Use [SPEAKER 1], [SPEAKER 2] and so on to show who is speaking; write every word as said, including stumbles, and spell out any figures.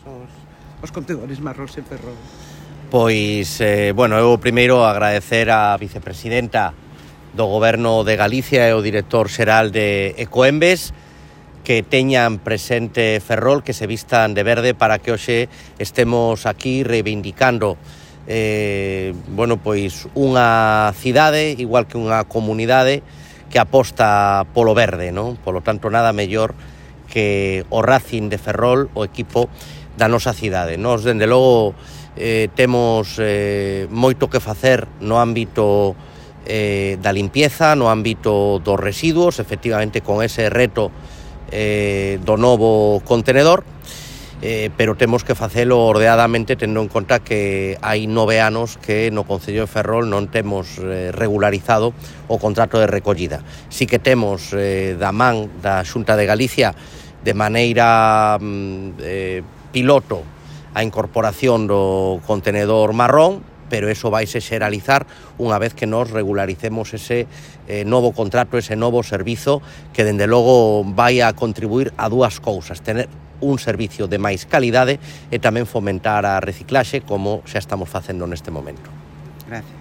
[SPEAKER 1] os, os contenedores marróns en Ferrol?
[SPEAKER 2] Pois, eh, bueno, eu primeiro agradecer á vicepresidenta do Goberno de Galicia e o director xeral de Ecoembes que teñan presente Ferrol, que se vistan de verde para que hoxe estemos aquí reivindicando eh, bueno, pois unha cidade, igual que unha comunidade que aposta polo verde, non? Polo tanto, nada mellor que o Racing de Ferrol, o equipo da nosa cidade. Nos, dende logo, eh, temos eh, moito que facer no ámbito eh, da limpieza, no ámbito dos residuos, efectivamente con ese reto eh, do novo contenedor, eh, pero temos que facelo ordenadamente tendo en conta que hai nove anos que no Concello de Ferrol non temos eh, regularizado o contrato de recollida. Si que temos eh, da man da Xunta de Galicia de maneira mm, eh, piloto a incorporación do contenedor marrón, pero eso vaise xeralizar unha vez que nos regularicemos ese eh, novo contrato, ese novo servizo que, dende logo, vai a contribuir a dúas cousas: tener un servicio de máis calidade e tamén fomentar a reciclaxe, como xa estamos facendo neste momento.
[SPEAKER 1] Gracias.